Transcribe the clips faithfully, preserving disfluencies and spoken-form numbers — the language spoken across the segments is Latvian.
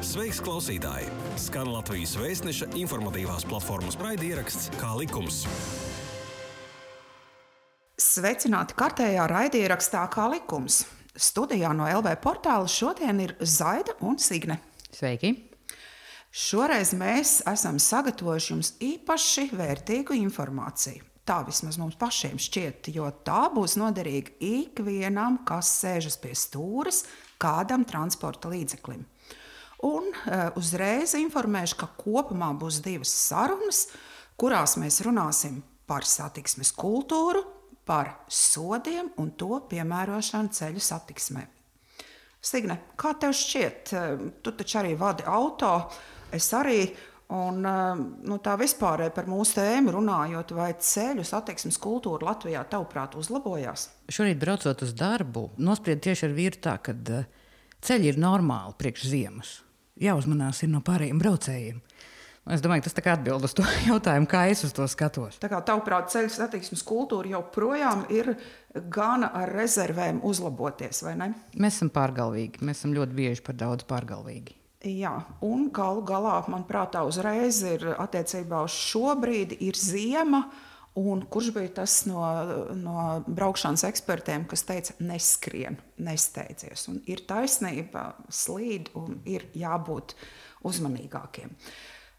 Sveiks, klausītāji! Skan Latvijas Vēstneša informatīvās platformas raidieraksts Kā likums. Sveicināti kārtējā raidierakstā Kā likums. Studijā no L V portāla šodien ir Zaida un Signe. Sveiki! Šoreiz mēs esam sagatavojuši jums īpaši vērtīgu informāciju. Tā vismaz mums pašiem šķiet, jo tā būs noderīga ikvienam, kas sēžas pie stūres kādam transporta līdzeklim. Un uh, uzreiz informēšu, ka kopumā būs divas sarunas, kurās mēs runāsim par satiksmes kultūru, par sodiem un to piemērošanu ceļu satiksmē. Signe, kā tev šķiet? Tu taču arī vadi auto, es arī, un nu, tā vispārēji par mūsu tēmu runājot, vai ceļu satiksmes kultūra Latvijā tavuprāt uzlabojās? Šorīt braucot uz darbu, nospried tieši ar vīru tā, ka ceļi ir normāli priekš ziemas. Jāuzmanās ir no pārējiem braucējiem. Es domāju, tas tā kā atbild uz to jautājumu, kā es uz to skatos. Tā kā tavuprāt ceļu satiksmes kultūra joprojām ir gana ar rezervēm uzlaboties, vai ne? Mēs esam pārgalvīgi, mēs esam ļoti bieži par daudz pārgalvīgi. Jā, un galu galā, manuprāt, uzreiz ir attiecībā uz šo brīdi ir ziema, un kurš bija tas no, no braukšanas ekspertiem, kas teica, neskrien, nesteidzies. Un ir taisnība, slīd un ir jābūt uzmanīgākiem.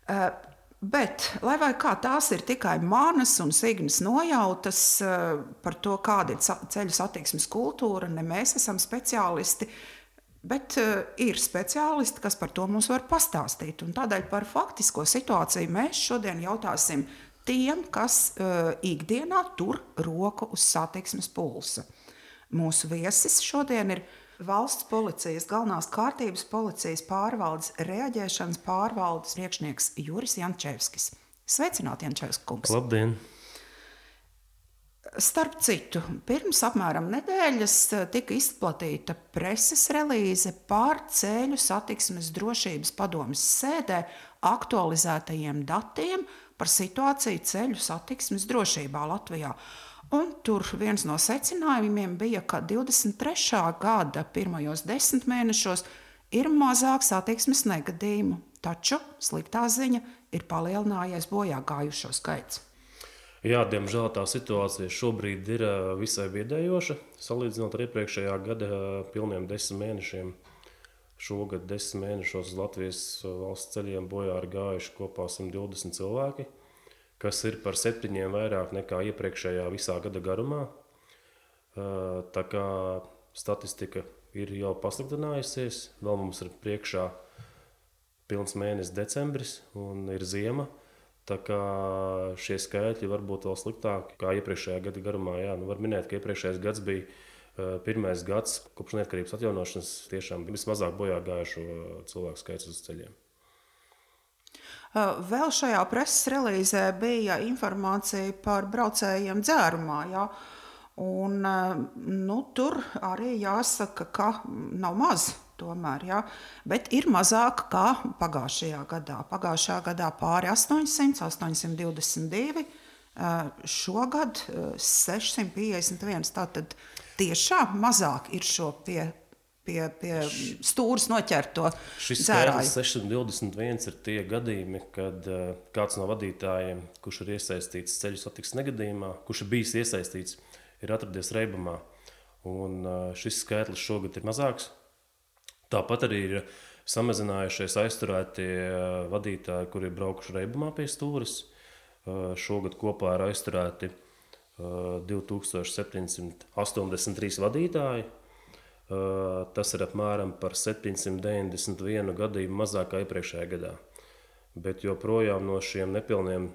Uh, bet, lai vai kā tās ir tikai manas un Signes nojautas uh, par to, kāda ir ceļu satiksmes kultūra, ne mēs esam speciālisti, bet uh, ir speciālisti, kas par to mums var pastāstīt. Un tādēļ par faktisko situāciju mēs šodien jautāsim tiem, kas uh, ikdienā tur roku uz satiksmes pulsa. Mūsu viesis šodien ir Valsts policijas galvenās kārtības policijas pārvaldes reaģēšanas pārvaldes priekšnieks Juris Jančevskis. Sveicināti, Jančevska kungs! Labdien! Starp citu, pirms apmēram nedēļas tika izplatīta preses relīze par ceļu satiksmes drošības padomes sēdē aktualizētajiem datiem par situāciju ceļu satiksmes drošībā Latvijā. Un tur viens no secinājumiem bija, ka divdesmit trešā gada pirmajos desmit mēnešos ir mazāk satiksmes negadījumu, taču sliktā ziņa ir palielinājies bojā gājušo skaits. Jā, diemžēl tā situācija šobrīd ir visai biedējoša, salīdzinot ar iepriekšējā gada pilniem desmit mēnešiem. Šogad desmit mēnešos uz Latvijas valsts ceļiem bojā ir gājuši kopā simt divdesmit cilvēki, kas ir par septiņiem vairāk nekā iepriekšējā visā gada garumā. Tā kā statistika ir jau pasliktinājusies, vēl mums ir priekšā pilns mēnesis decembris un ir ziema, tā kā šie skaitļi var būt vēl sliktāki kā iepriekšējā gada garumā. Jā, nu var minēt, ka iepriekšējais gads bija pirmais gads kopš neatkarības atjaunošanas tiešām vismazāk bojā gājušo cilvēku skaits uz ceļiem. Vēl šajā preses relīzē bija informācija par braucējiem dzērumā, jā. Un nu, tur arī jāsaka, ka nav maz tomēr, jā. Bet ir mazāk kā pagājušajā gadā. Pagājušajā gadā pāri astoņsimt, astoņsimt divdesmit divi, šogad sešsimt piecdesmit viens. Tātad tiešām mazāk ir šo pie pie, pie stūras noķerto dzērāju. Šis skaitlis sešsimt divdesmit viens ir tie gadījumi, kad uh, kāds no vadītājiem, kurš ir iesaistīts ceļu satiksmes negadījumā, kurš ir bijis iesaistīts, ir atradies reibumā. Un uh, šis skaitlis šogad ir mazāks. Tāpat arī ir samazinājušies aizturētie uh, vadītāji, kuri ir braukuši reibumā pie stūras. Uh, šogad kopā ir aizturēti uh, divi tūkstoši septiņsimt astoņdesmit trīs vadītāji. Uh, tas ir apmēram par septiņsimt deviņdesmit vienu gadījumu mazāk kā iepriekšējā gadā. Bet joprojām no šiem nepilniem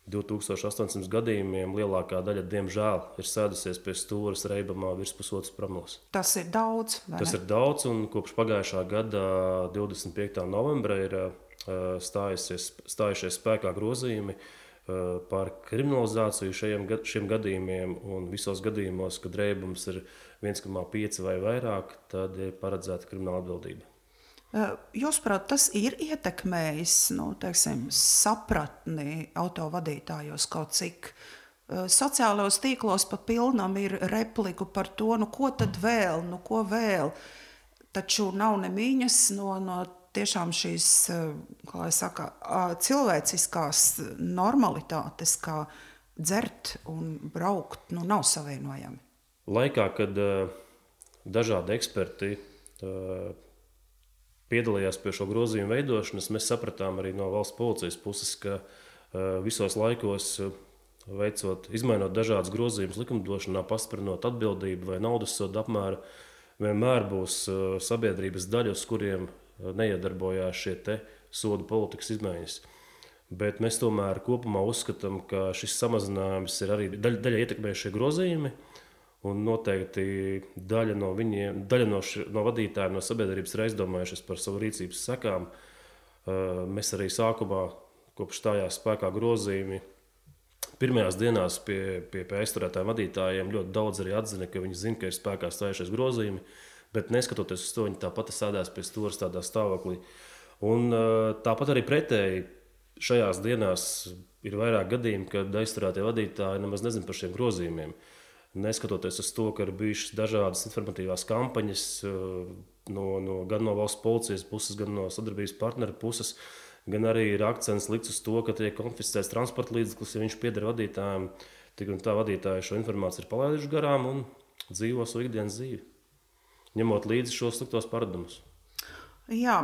divi tūkstoši astoņsimt gadījumiem lielākā daļa, diemžēl, ir sēdusies pie stūras reibumā virs pusotras promils. Tas ir daudz, vai ne? Tas ir daudz, un kopš pagājušā gada divdesmit piektā novembra ir uh, stājusies, stājušies spēkā grozījumi par kriminalizāciju šiem, šiem gadījumiem, un visos gadījumos, kad reibums ir viens komats pieci vai vairāk, tad ir paredzēta krimināla atbildība. Jūsuprāt, tas ir ietekmējis, nu, teiksim, sapratni autovadītājos kaut cik? Sociālajos tīklos pa pilnam ir repliku par to, nu ko tad vēl, nu ko vēl? Taču nav nemiņas no, no tiešām šīs, kā lai saka, cilvēciskās normalitātes, kā dzert un braukt, nu, nav savienojami. Laikā, kad uh, dažādi eksperti uh, piedalījās pie šo grozījumu veidošanas, mēs sapratām arī no valsts policijas puses, ka uh, visos laikos uh, veicot, izmainot dažādas grozījumus likumdošanā, pastiprinot atbildību vai naudas sodu apmēru, vienmēr būs uh, sabiedrības daļa, uz kuriem uh, neiedarbojās šie te sodu politikas izmaiņas. Bet mēs tomēr kopumā uzskatām, ka šis samazinājums ir arī daļa, daļa ietekmējušie grozījumi, un noteikti daļa no viņiem, daļa no, ši, no vadītājiem, no sabiedrības ir aizdomājušies par savu rīcības sekām. Uh, mēs arī sākumā, kopš stājās spēkā grozījumi, pirmajās dienās pie, pie, pie aizturētājiem vadītājiem ļoti daudz arī atzina, ka viņi zina, ka ir spēkā stājušies grozījumi, bet neskatoties uz to, viņi tāpat sēdās pie stūres tādā stāvoklī. Un uh, tāpat arī pretēji šajās dienās ir vairāk gadījumi, kad aizturētie vadītāji nemaz nezina par šiem grozījumiem. Neskatoties uz to, ka ir bijušas dažādas informatīvās kampaņas no, no, gan no valsts policijas puses, gan no sadarbības partneru puses, gan arī ir akcents likts uz to, ka tiek konfiscēts transporta līdzeklis, ja viņš pieder vadītājiem, tik un tā vadītāji šo informāciju ir palaiduši garām un dzīvo savu ikdienas dzīvi, ņemot līdzi šos sliktos paradumus. Jā,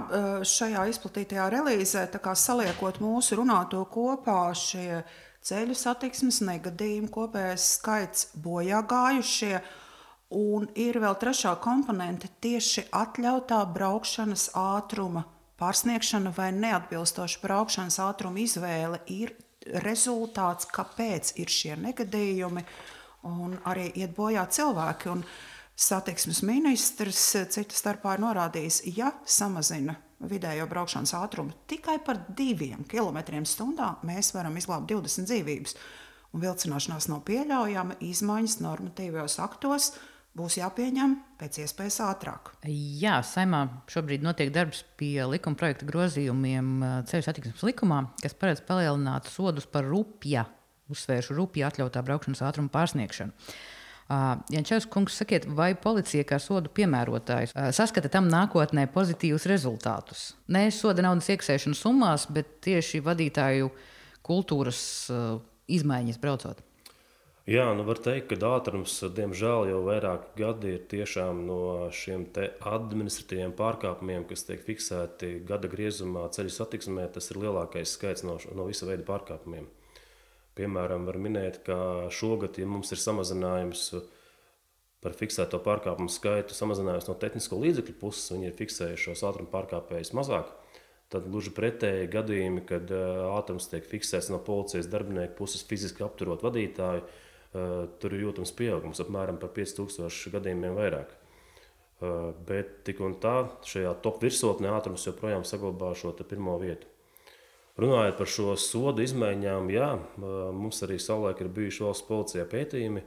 šajā izplatītajā relīzē, tā kā saliekot mūsu runāto kopā, šie ceļu satiksmes negadījumu kopējais skaits bojā gājušie, un ir vēl trešā komponente tieši atļautā braukšanas ātruma pārsniegšana vai neatbilstoša braukšanas ātruma izvēle ir rezultāts, kāpēc ir šie negadījumi un arī iet bojā cilvēki. Un satiksmes ministrs cita starpā ir norādījis, ja samazina vidējo braukšanas ātrumu tikai par diviem kilometriem stundā, mēs varam izglābt divdesmit dzīvības. Un vilcināšanās nav pieļaujama, izmaiņas normatīvajos aktos būs jāpieņem pēc iespējas ātrāk. Jā, Saeimā šobrīd notiek darbs pie likuma projekta grozījumiem ceļu satiksmes likumā, kas paredz palielināt sodus par rupja, uzsvēršu rupja atļautā braukšanas ātruma pārsniegšanu. Uh, Jančevs kungs, sakiet, vai policija kā sodu piemērotājs uh, saskata tam nākotnē pozitīvus rezultātus? Ne soda naudas iekasēšanu summās, bet tieši vadītāju kultūras uh, izmaiņas braucot. Jā, nu var teikt, ka ātrums, diemžēl, jau vairāk gadi ir tiešām no šiem te administratīviem pārkāpumiem, kas tiek fiksēti gada griezumā ceļu satiksmē, tas ir lielākais skaits no, no visa veida pārkāpumiem. Piemēram, var minēt, ka šogad, ja mums ir samazinājums par fiksēto pārkāpumu skaitu, samazinājums no tehnisko līdzekļu puses, viņi ir fiksējuši šos ātruma pārkāpējus mazāk, tad gluži pretēji gadījumi, kad ātrums tiek fiksēts no policijas darbinieku puses fiziski apturot vadītāju, tur ir jūtams pieaugums, apmēram par pieci tūkstoši gadījumiem vairāk. Bet tik un tā, šajā top virsotnē ātrums joprojām saglabā šo te pirmo vietu. Runājot par šo sodu izmaiņām, jā, mums arī savulaik ir bijuši valsts policijā pētījumi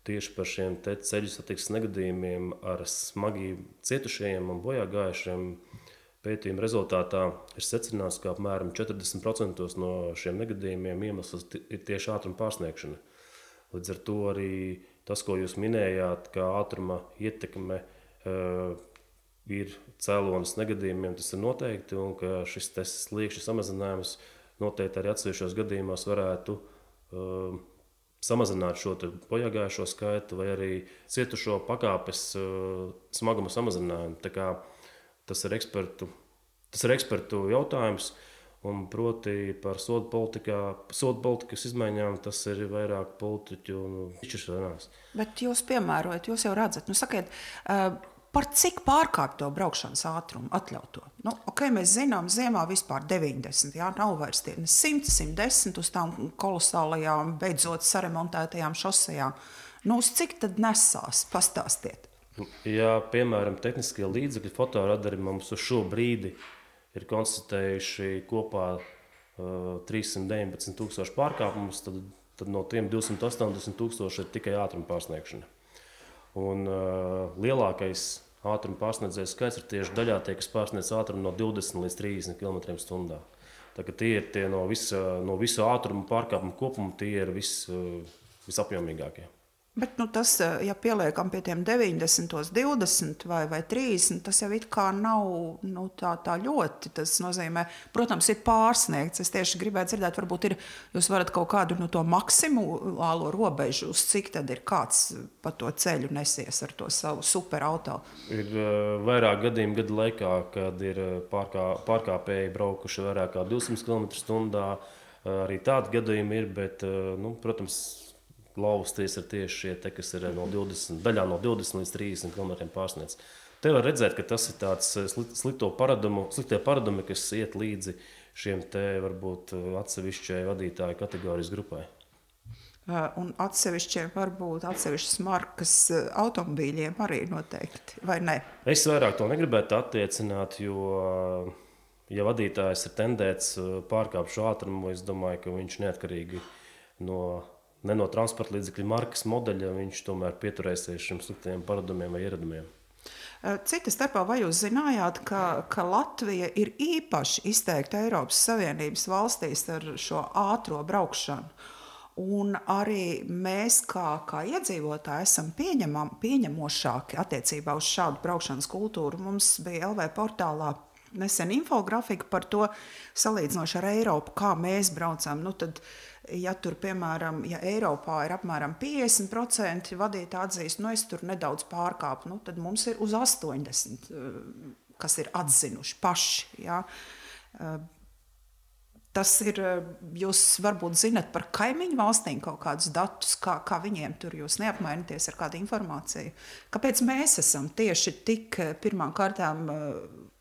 tieši par šiem te ceļu satiksmes negadījumiem ar smagi cietušajiem un bojā gājušiem. Pētījuma rezultātā ir secināts, ka apmēram četrdesmit procenti no šiem negadījumiem iemesls ir tieši ātruma pārsniegšana. Līdz ar to arī tas, ko jūs minējāt, ka ātruma ietekme uh, ir cēlonis negadījumiem, tas ir noteikti, un ka šis sliekšņa samazinājums noteikti arī atsevišķos gadījumos varētu uh, samazināt šo bojāgājušo skaitu vai arī cietušo pakāpes uh, smaguma samazinājumu. Tā kā tas ir ekspertu, tas ir ekspertu jautājums, un proti par sodu politikā, sodu politikas izmaiņām tas ir vairāk politiķu un izšķiršanās. Bet jūs piemērojat, jūs jau redzat, nu sakiet, uh, par cik pārkāpto braukšanas ātrumu atļauto? Nu, ok, mēs zinām, ziemā vispār deviņdesmit, jā, nav vairs tie simt, simt desmit uz tām kolosālajām, beidzot saremontētajām šosejām. Nu, uz cik tad nesās? Pastāstiet. Jā, piemēram, tehniskie līdzekļi, fotoradari mums uz šo brīdi ir konstatējuši kopā uh, trīssimt deviņpadsmit tūkstoši pārkāpumus, tad, tad no tiem divsimt astoņdesmit tūkstoši ir tikai ātruma pārsniegšana. Un uh, lielākais ātruma pārsniedzējs skaits ir tieši daļā tie, kas pārsniedz ātrumu no divdesmit līdz trīsdesmit kilometriem stundā. Tā kā tie ir tie no visa, no visu ātruma pārkāpumu kopuma, tie ir vis, uh, visapjomīgākie. Bet nu, tas, ja pieliekam pie tiem deviņdesmit, divdesmit vai, vai trīsdesmit, tas jau it kā nav nu, tā, tā ļoti. Tas nozīmē, protams, ir pārsniegts. Es tieši gribētu dzirdēt, varbūt ir, jūs varat kaut kādu no to maksimālo robežu, uz cik tad ir kāds pa to ceļu nesies ar to savu superauto. Ir uh, vairāk gadījumu gadu laikā, kad ir pārkā, pārkāpēji braukuši vairāk kā divsimt kilometru stundā. Uh, arī tādi gadījumi ir, bet, uh, nu, protams, lausties ir tieši šie, te, kas ir no divdesmit, daļā no divdesmit līdz trīsdesmit kilometriem pārsniedz. Te var redzēt, ka tas ir tāds slikto paradumu, sliktie paradumi, kas iet līdzi šiem te varbūt atsevišķai vadītāju kategorijas grupai. Un atsevišķiem varbūt atsevišķas markas automobīļiem arī noteikti, vai ne? Es vairāk to negribētu attiecināt, jo, ja vadītājs ir tendēts pārkāpt šo ātrumu, es domāju, ka viņš neatkarīgi no ne no transporta līdzekļu markas modeļa, viņš tomēr pieturēsies šiem sliktiem paradumiem vai ieradumiem. Cita starpā, vai jūs zinājāt, ka, ka Latvija ir īpaši izteikta Eiropas Savienības valstīs ar šo ātro braukšanu? Un arī mēs, kā, kā iedzīvotāji, esam pieņemam, pieņemošāki attiecībā uz šādu braukšanas kultūru. Mums bija L V portālā nesen infografika par to, salīdzinoši ar Eiropu, kā mēs braucam. Nu, tad, ja tur, piemēram, ja Eiropā ir apmēram piecdesmit procenti vadītāji atzīst, nu es tur nedaudz pārkāpu, nu, tad mums ir uz astoņdesmit, kas ir atzinuši paši. Ja? Tas ir, jūs varbūt zinat par kaimiņu valstīm kaut kādus datus, kā, kā viņiem tur jūs neapmainaties ar kādu informāciju. Kāpēc mēs esam tieši tik pirmām kārtām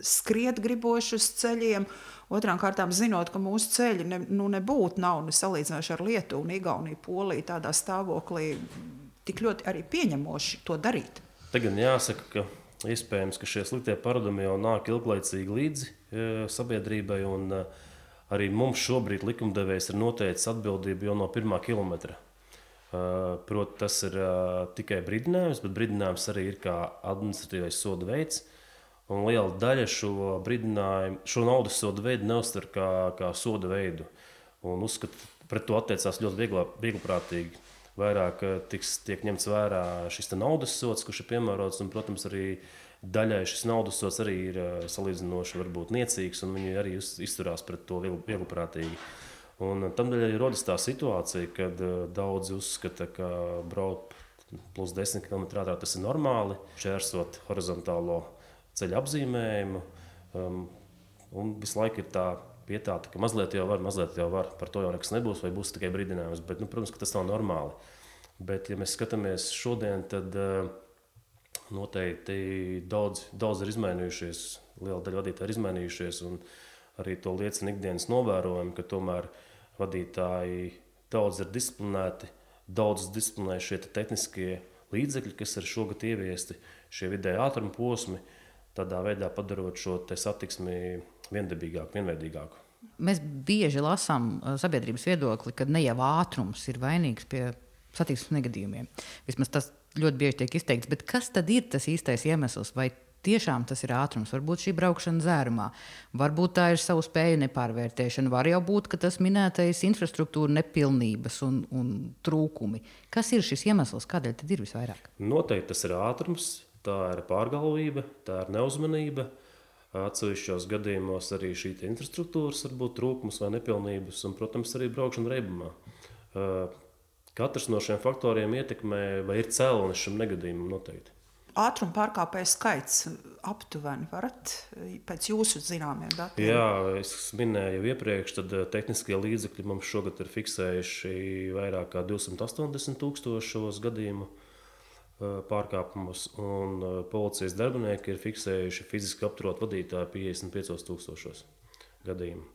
skriet griboši uz ceļiem, otrām kārtām zinot, ka mūsu ceļi ne, nu, nebūtu nav ne salīdzinoši ar Lietuvu un Igauniju, Poliju tādā stāvoklī tik ļoti arī pieņemoši to darīt? Te gan jāsaka, ka iespējams, ka šie sliktie paradumi jau nāk ilglaicīgi līdzi e, sabiedrībai, un e, arī mums šobrīd likumdevējs ir noteicis atbildību jau no pirmā kilometra. Uh, Proti, tas ir uh, tikai brīdinājums, bet brīdinājums arī ir kā administratīvais soda veids. Un liela daļa šo brīdinājumu, šo naudas soda veidu neuztver kā, kā soda veidu. Un uzskat, pret to attiecās ļoti viegla, viegliprātīgi. Vairāk tiks, tiek ņemts vērā šis naudas sods, kurš ir piemērots, un, protams, arī daļai šis naudas sods arī ir salīdzinoši varbūt niecīgs, un viņi arī izturās pret to viegliprātīgi. Un tam daļai rodas tā situācija, kad daudzi uzskata, ka braukt plus desmit kilometru ātrāk tas ir normāli, šķērsot horizontālo ceļa apzīmējumu, um, un visu laiku ir tā pietāta, ka mazliet jau var, mazliet jau var, par to jau nekas nebūs, vai būs tikai brīdinājums, bet, nu, protams, ka tas nav normāli. Bet, ja mēs skatāmies šodien, tad uh, noteikti daudz, daudz ir izmainījušies, liela daļa vadītāji ir izmainījušies, un arī to liecina ikdienas novērojumi, ka tomēr vadītāji daudz ir disciplinēti, daudz disciplinē šie tehniskie līdzekļi, kas ir šogad ieviesti, šie vidēji ātruma posmi, tādā veidā padarot šo te satiksmi viendabīgāku, vienveidīgāku. Mēs bieži lasām sabiedrības viedokli, ka ne jau ātrums ir vainīgs pie satiksmes negadījumiem. Vismaz tas ļoti bieži tiek izteikts, bet kas tad ir tas īstais iemesls? Vai tiešām tas ir ātrums? Varbūt šī braukšana dzērumā, varbūt tā ir savu spēju nepārvērtēšana, var jau būt, ka tas minētais infrastruktūra nepilnības un, un trūkumi. Kas ir šis iemesls? Kādēļ tad ir visvairāk? Noteikti tas ir ātrums, tā ir pārgalvība, tā ir neuzmanība. Atsevišķos gadījumos arī šī infrastruktūras var būt trūkums vai nepilnības, un, protams, arī braukšana reibumā. Katrs no šiem faktoriem ietekmē vai ir cēlonis šim negadījumam noteikti. Ātruma pārkāpēju skaits aptuveni varat pēc jūsu zināmiem datiem? Jā, es minēju jau iepriekš, tad tehniskie līdzekļi mums šogad ir fiksējuši vairāk kā divsimt astoņdesmit tūkstošos gadījumu pārkāpumus, un policijas darbinieki ir fiksējuši fiziski apturot vadītāju piecdesmit piecos tūkstošos gadījumu.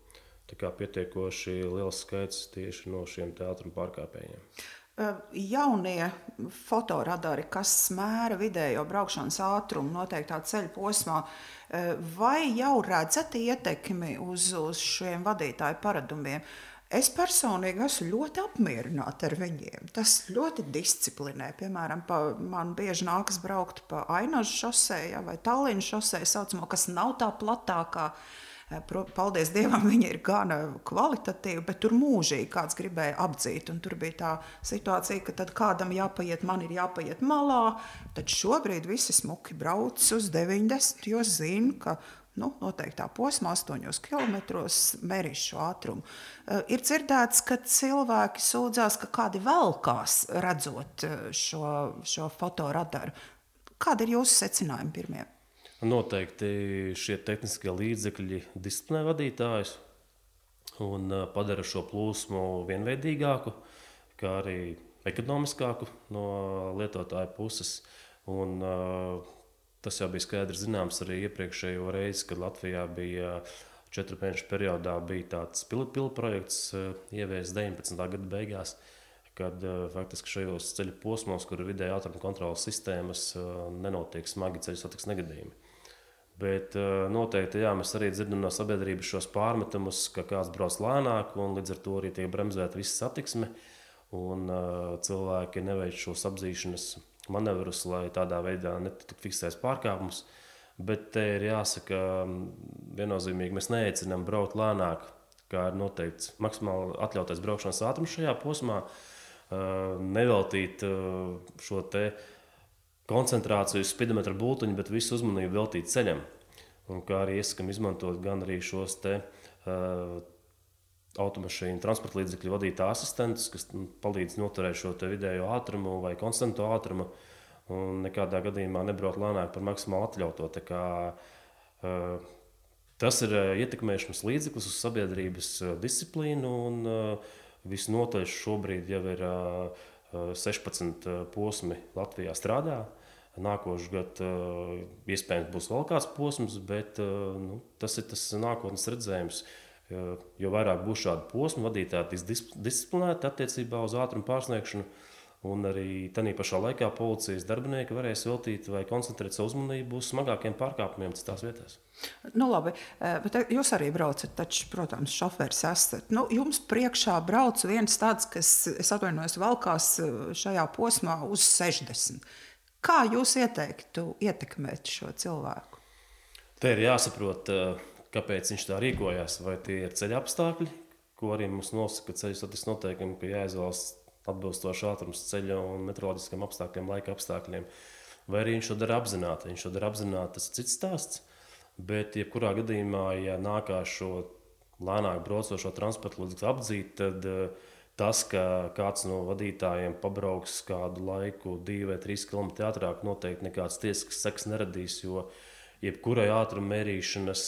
Tā kā pietiekoši liels skaits tieši no šiem ātruma pārkāpējiem. Jaunie fotoradari, kas mēra vidējo braukšanas ātrumu noteiktā ceļa posmā, vai jau redzat ietekmi uz, uz šiem vadītāju paradumiem? Es personīgi esmu ļoti apmierināta ar viņiem. Tas ļoti disciplinē. Piemēram, pa, man bieži nākas braukt pa Ainažu šosei, ja, vai Tallinas šosei, saucamo, kas nav tā platākā. Paldies Dievam, viņa ir gana kvalitatīva, bet tur mūžīgi kāds gribēja apdzīt. Un tur bija tā situācija, ka tad kādam jāpaiet, man ir jāpaiet malā. Tad šobrīd visi smuki brauc uz deviņdesmit, jo zina, ka nu, noteiktā posmā, astoņos kilometros, mērīs šo ātrumu. Uh, ir dzirdēts, ka cilvēki sūdzās, ka kādi velkās redzot šo, šo fotoradaru. Kādi ir jūsu secinājumi pirmie? Noteikti šie tehniskie līdzekļi disciplinē vadītājus un padara šo plūsmu vienveidīgāku, kā arī ekonomiskāku no lietotāja puses. Un, uh, tas jau bija skaidrs zināms arī iepriekšējo reizi, kad Latvijā bija četru mēnešu periodā bija tāds pilotu projekts uh, ieviests deviņpadsmitā gada beigās, kad uh, faktiski šajos ceļu posmos, kur ir vidēja ātruma kontroles sistēmas, uh, nenotiek smagi ceļu satiksmes negadījumi. Bet uh, noteikti jā, mēs arī dzirdam no sabiedrības šos pārmetumus, ka kāds brauc lēnāk un līdz ar to arī tiek bremzēta visa satiksme un uh, cilvēki neveic šos apzīšanas manevrus, lai tādā veidā netiktu fiksēts pārkāpums. Bet te ir jāsaka viennozīmīgi, mēs neaicinām braukt lēnāk, kā ir noteikts maksimāli atļautais braukšanas ātrums šajā posmā, uh, neveltīt uh, šo te koncentrāciju uz spidometra bultiņu, bet visu uzmanību veltīt ceļam. Un kā arī iesakam izmantot gan arī šos te uh, automašīnu transporta līdzekļu vadītā asistentus, kas palīdz noturēt šo te vidējo ātrumu vai konstanto ātrumu un nekādā gadījumā nebraukt lēnāk par maksimāli atļauto. Tā kā, uh, tas ir ietekmēšanas līdzeklis uz sabiedrības disciplīnu un uh, visnotaļ šobrīd jau ir uh, sešpadsmit posmi Latvijā strādā. Nākošais gads iespējams būs vēl kāds posms, bet nu, tas ir tas nākotnes redzējums. Jo vairāk būs šādu posmu, vadītāji tiks disciplinēti attiecībā uz ātrumu pārsniegšanu, un arī tādā pašā laikā policijas darbinieki varēs veltīt vai koncentrēt savu uzmanību uz smagākiem pārkāpumiem citās vietās. Nu, labi, bet jūs arī braucat, taču, protams, šoferis esat. Nu, jums priekšā brauc viens tāds, kas, es atvainojos, valkās šajā posmā uz sešdesmit. Kā jūs ieteiktu ietekmēt šo cilvēku? Te ir jāsaprot, kāpēc viņš tā rīkojās. Vai tie ir ceļa apstākļi, ko arī mums nosaka ceļu satiksmes noteikumi, ka jāizvēlas atbilstoši ātrums ceļa un meteoroloģiskiem apstākļiem, laika apstākļiem. Vai arī viņš to dara apzināti. Viņš to dara apzināti, tas ir cits stāsts. Bet, jebkurā gadījumā, ja nākās šo lēnāk braucošo transporta līdzekli apdzīt, tad tas, ka kāds no vadītājiem pabrauks kādu laiku, divi vai trīs kilometri ātrāk, noteikti nekāds tiesisks seks neradīs, jo jebkurai ātruma mērīšanas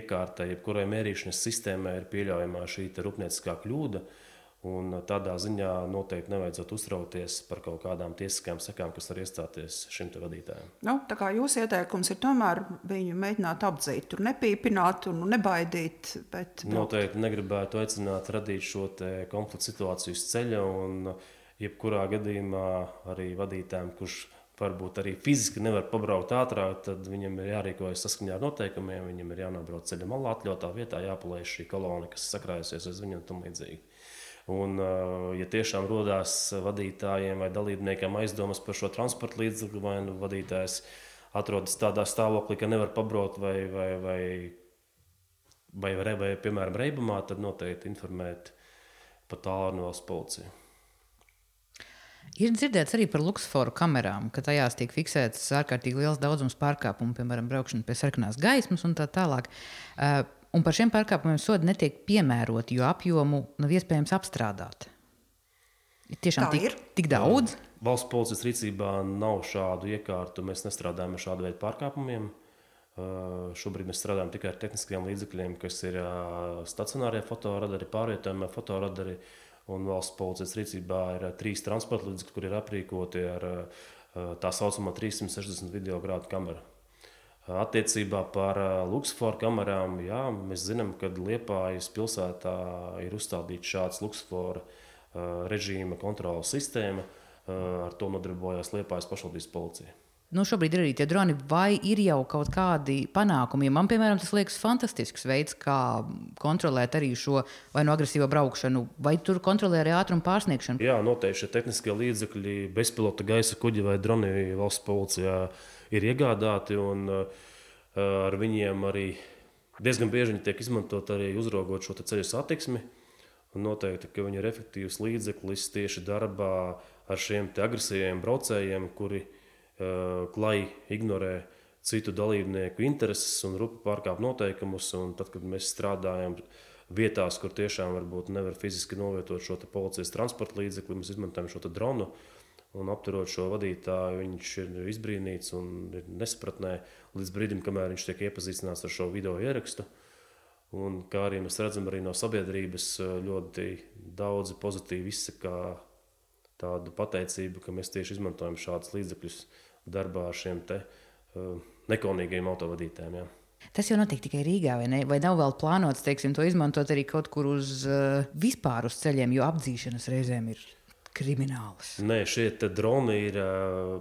iekārtai, jebkurai mērīšanas sistēmai ir pieļaujamā šī rūpnieciskā kļūda. Un tādā ziņā noteikti nevajadzētu uztraukties par kaut kādām tiesiskām sekām, kas var iestāties šim te vadītājam. Nu, tā kā jūsu ieteikums ir tomēr viņu mēģināt apdzīt, tur nepīpināt un nebaidīt. Bet... Noteikti negribētu aicināt radīt šo te konfliktu situāciju uz ceļa un jebkurā gadījumā arī vadītājiem, kurš varbūt arī fiziski nevar pabraukt ātrāk, tad viņam ir jārīkojas saskaņā ar noteikumiem, viņam ir jānobrauc ceļa malā atļautā vietā, jāpalaiž šī kolona, kas sakrājusies aiz viņu un tam līdzīgi. Un, ja tiešām rodās vadītājiem vai dalībniekiem aizdomas par šo transporta līdzekli, vai nu vadītājs atrodas tādā stāvoklī, ka nevar pabraukt vai, vai, vai, vai, vai, vai piemēram, reibumā, tad noteikti informēt pa tālruni valsts policiju. Ir dzirdēts arī par luksusforu kamerām, ka tajās tiek fiksēts ārkārtīgi liels daudzums pārkāpumu, piemēram, braukšana pie sarkanās gaismas un tā tālāk. Un par šiem pārkāpumiem sodi netiek piemēroti, jo apjomu nav iespējams apstrādāt. Ir tiešām Tā tik, ir. tik daudz. Valsts policijas rīcībā nav šādu iekārtu, mēs nestrādājam ar šādu veidu pārkāpumiem. Uh, šobrīd mēs strādājam tikai ar tehniskajiem līdzekļiem, kas ir uh, stacionārie fotoradari, pārvietojamie fotoradari, un valsts policijas rīcībā ir uh, trīs transporta līdzekļi, kur ir aprīkoti ar uh, tā saucamo trīssimt sešdesmit video grādu kameru. Attiecībā par luksusforu kamerām, jā, mēs zinām, ka Liepājas pilsētā ir uzstādīta šāds luksusforu uh, režīma kontrolas sistēma. Uh, ar to nodarbojās Liepājas pašvaldības policija. Nu, šobrīd ir arī tie droni, vai ir jau kaut kādi panākumi? Man, piemēram, tas liekas fantastisks veids, kā kontrolēt arī šo vai no agresīvo braukšanu, vai tur kontrolē arī ātrumu pārsniegšanu? Jā, noteikti šie tehniskie līdzekļi, bezpilota gaisa kuģi vai droni valsts policijā ir iegādāti, un uh, ar viņiem arī Diezgan bieži viņi tiek izmantot arī uzraugot šo ceļu satiksmi. Un noteikti, ka viņi ir efektīvs līdzeklis tieši darbā ar šiem agresīviem braucējiem, kuri uh, klai ignorē citu dalībnieku intereses un rupi pārkāp noteikumus. Un tad, kad mēs strādājam vietās, kur tiešām varbūt nevar fiziski novietot šo policijas transporta līdzekli, mēs izmantojam šo dronu un apturot šo vadītāju, viņš ir izbrīnīts un ir nespratnē līdz brīdim, kamēr viņš tiek iepazīstināts ar šo video ierakstu. Un, kā arī mēs redzam, arī no sabiedrības ļoti daudzi pozitīvi izsaka tādu pateicību, ka mēs tieši izmantojam šādus līdzekļus darbā ar šiem te uh, nekaunīgajiem autovadītājiem. Jā. Tas jau notiek tikai Rīgā, vai ne? Vai nav vēl plānots, teiksim, to izmantot arī kaut kur uz uh, vispār uz ceļiem, jo apdzīšanas reizēm ir kriminālas? Nē, šie te droni ir uh,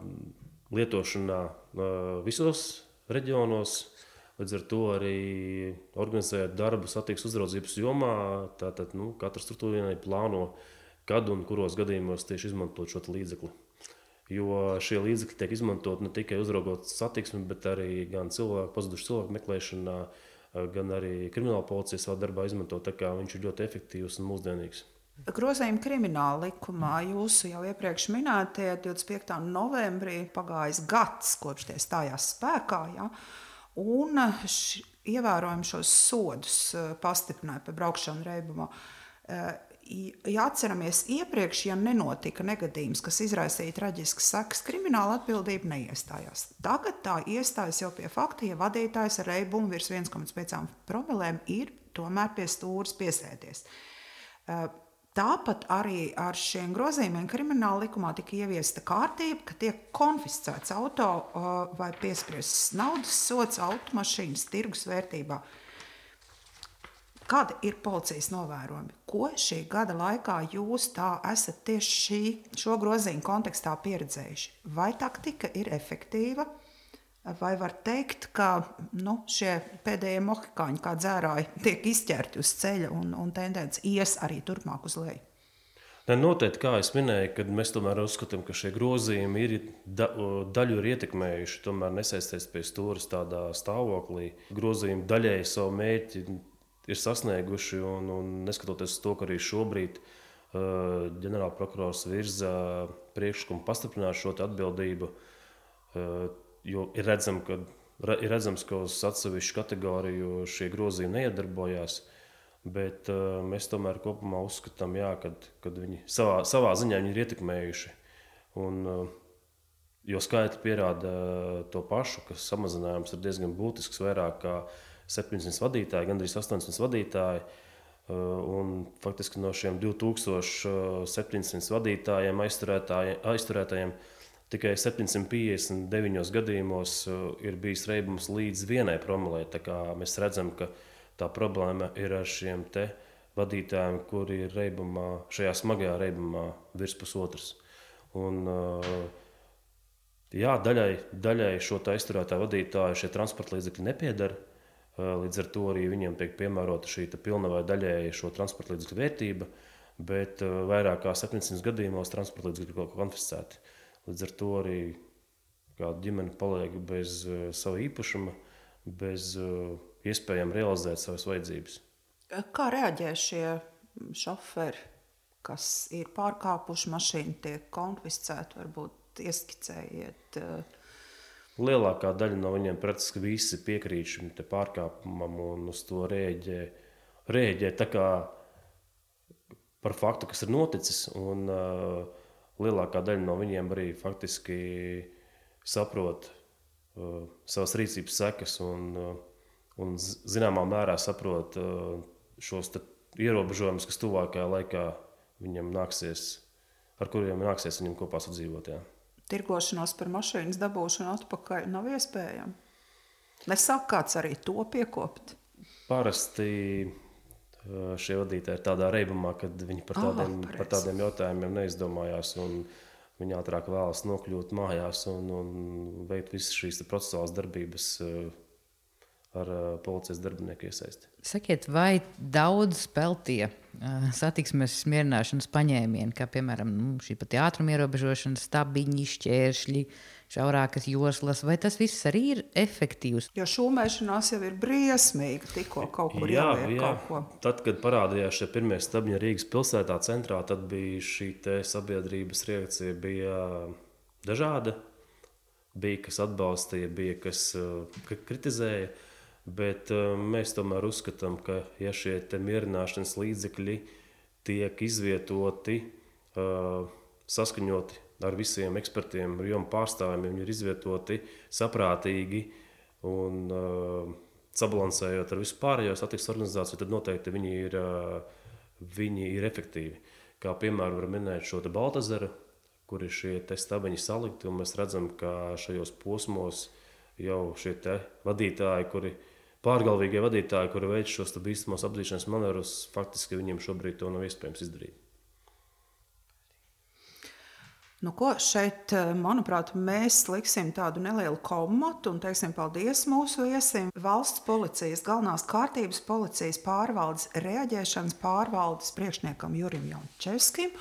lietošanā uh, visos reģionos. Līdz ar to arī organizējot darbu satiksmes uzraudzības jomā, tātad nu, katra struktūra plāno, kad un kuros gadījumos tieši izmantot šo līdzekli. Jo šie līdzekļi tiek izmantot ne tikai uzraugot satiksmi, bet arī gan cilvēku, pazudušu cilvēku meklēšanā, gan arī krimināla policija savā darbā izmantot, tā kā viņš ir ļoti efektīvs un mūsdienīgs. Grozījumi krimināla likumā jūsu jau iepriekš minētie divdesmit piektā novembrī pagājis gads, kopš tie stājās spēkā, ja? Un š, ievērojami šos sodus pastiprināja par braukšanu reibumā. Ja atceramies iepriekš, ja nenotika negadījums, kas izraisīja traģiskas sekas, krimināla atbildība neiestājās. Tagad tā iestājas jau pie fakta, ja vadītājs ar reibumu virs viens komats pieci promilēm ir tomēr pie stūres piesēdies. Tāpat arī ar šiem grozījumiem krimināla likumā tika ieviesta kārtība, ka tiek konfiscēts auto vai piespriests naudas sods automašīnas tirgus vērtībā. Kādi ir policijas novērojumi? Ko šī gada laikā jūs tā esat tieši šī, šo grozījumu kontekstā pieredzējuši? Vai taktika ir efektīva? Vai var teikt, ka nu, šie pēdējie mohikāņi kā dzērāji tiek izķerti uz ceļa un, un tendence ies arī turpmāk uz leju? Ne, noteikti, kā es minēju, kad mēs tomēr uzskatām, ka šie grozījumi ir da, daļu ir ietekmējuši, tomēr nesaisties pie stūres tādā stāvoklī. Grozījumi daļēji savu mērķi ir sasnieguši un, un neskatoties uz to, ka arī šobrīd uh, ģenerālprokurors virza priekšlikumu pastiprināt šo atbildību, uh, jo ir, redzam, ka, ir redzams, ka uz atsevišķu kategoriju šie grozījumi neiedarbojās, bet uh, mēs tomēr kopumā uzskatām, jā, kad, kad viņi savā, savā ziņā viņi ir ietekmējuši. Un, uh, jo skaitļi pierāda to pašu, ka samazinājums ir diezgan būtisks, vairāk kā septiņsimt vadītāji, gandrīz astoņsimt vadītāji. Uh, un faktiski no šiem divi tūkstoši septiņsimt vadītājiem, aizturētājiem, tikai septiņsimt piecdesmit deviņos gadījumos ir bijis reibums līdz vienai promilei. Tā kā mēs redzam, ka tā problēma ir ar šiem te vadītājiem, kuri ir reibumā, šajā smagajā reibumā virs pusotras. Un, jā, daļai, daļai šo aizturētā vadītāju šie transporta līdzekļi nepiedara. Līdz ar to arī viņiem tiek piemērota šī pilna vai daļēji šo transporta līdzekļu vērtība, bet vairāk kā septiņsimt gadījumos transporta līdzekļi ir konfiscēti. Līdz ar to arī kāda ģimene paliek bez uh, sava īpašuma, bez uh, iespējām realizēt savas vajadzības. Kā reaģē šie šoferi, kas ir pārkāpuši mašīnu, tiek konfiscēti, varbūt ieskicējiet? Uh... Lielākā daļa no viņiem praktiski visi piekrīt šim te pārkāpumam un uz to rēģē, rēģē tā kā par faktu, kas ir noticis. Un, uh, Lielākā daļa no viņiem arī faktiski saprot uh, savas rīcības sekas un, uh, un zināmā mērā saprot uh, šos ierobežojumus, kas tuvākajā laikā viņam nāksies, ar kuriem nāksies viņam kopā sadzīvot. Jā. Tirgošanos par mašīnas dabūšanu atpakaļ nav iespējama. Nesāk kāds arī to piekopt? Parasti šie vadītāji ir tādā reibumā, kad viņi par tādiem, oh, par tādiem jautājumiem neizdomājās un viņi ātrāk vēlas nokļūt mājās un, un veikt visas šīs procesuālās darbības ar policijas darbinieku iesaisti. Sakiet, vai daudz peltie satiksmes mierināšanas paņēmieni, kā piemēram nu, šī pati ātruma ierobežošana, stabiņi, šķēršļi, šaurākas joslas, vai tas viss arī ir efektīvs? Jo šūmēšanās jau ir briesmīga, tikko kaut kur jā, ieliek jā. kaut ko. Tad, kad parādījās šie pirmie stabiņi Rīgas pilsētā centrā, tad bija šī te sabiedrības reakcija bija dažāda. Bija, kas atbalstīja, bija, kas uh, kritizēja, bet uh, mēs tomēr uzskatām, ka ja šie te mierināšanas līdzekļi tiek izvietoti, uh, saskaņoti ar visiem ekspertiem, ar jomu pārstāvjiem, viņi ir izvietoti saprātīgi un uh, sabalansējot ar visu pārējo satiksmes organizāciju, tad noteikti viņi ir, uh, viņi ir efektīvi. Kā piemēram var minēt šo te Baltazaru, kur ir šie te stabiņi salikti, un mēs redzam, ka šajos posmos jau šie te vadītāji, kuri pārgalvīgie vadītāji, kuri veic šos te bīstamos apdzīšanas manevrus, faktiski viņiem šobrīd to nav iespējams izdarīt. Nu, ko šeit, manuprāt, mēs liksim tādu nelielu komatu un teiksim paldies mūsu viesim. Valsts policijas, galvenās kārtības policijas pārvaldes, reaģēšanas pārvaldes priekšniekam Jurim Jančevskim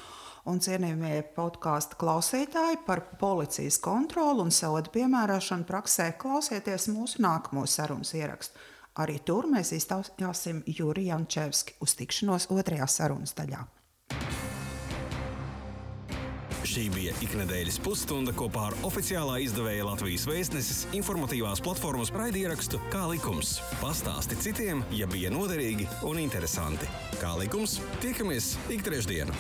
un cienījamie podkāsta klausītāji par policijas kontroli un sodu piemērošanu praksē. Klausieties mūsu nākamo sarunas ierakstu. Arī tur mēs iztaujāsim Juri Jančevski. Uz tikšanos otrajā sarunas daļā. Šī bija iknedēļas pusstunda kopā ar oficiālā izdevēja Latvijas Vēstneses informatīvās platformas raidierakstu Kā likums. Pastāsti citiem, ja bija noderīgi un interesanti. Kā likums, tiekamies ik trešdienu.